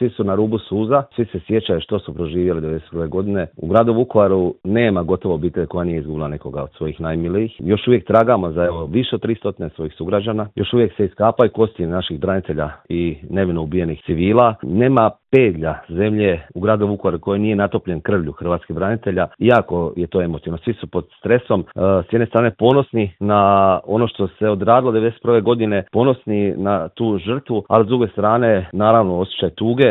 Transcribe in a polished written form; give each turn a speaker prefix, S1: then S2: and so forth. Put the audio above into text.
S1: svi su na rubu suza, svi se sjećaju što su proživjeli 1991. godine. U gradu Vukovaru nema gotovo obitelj koja nije izgubila nekoga od svojih najmilijih. Još uvijek tragamo za više od 300 svojih sugrađana. Još uvijek se iskapaju kosti naših branitelja i nevino ubijenih civila. Nema pedlja zemlje u gradu Vukovaru koji nije natopljen krvlju hrvatskih branitelja. Jako je to emotivno. Svi su pod stresom. S jedne strane ponosni na ono što se odradilo 1991. godine, ponosni na tu žrtvu, ali s druge strane naravno osjećaj tuge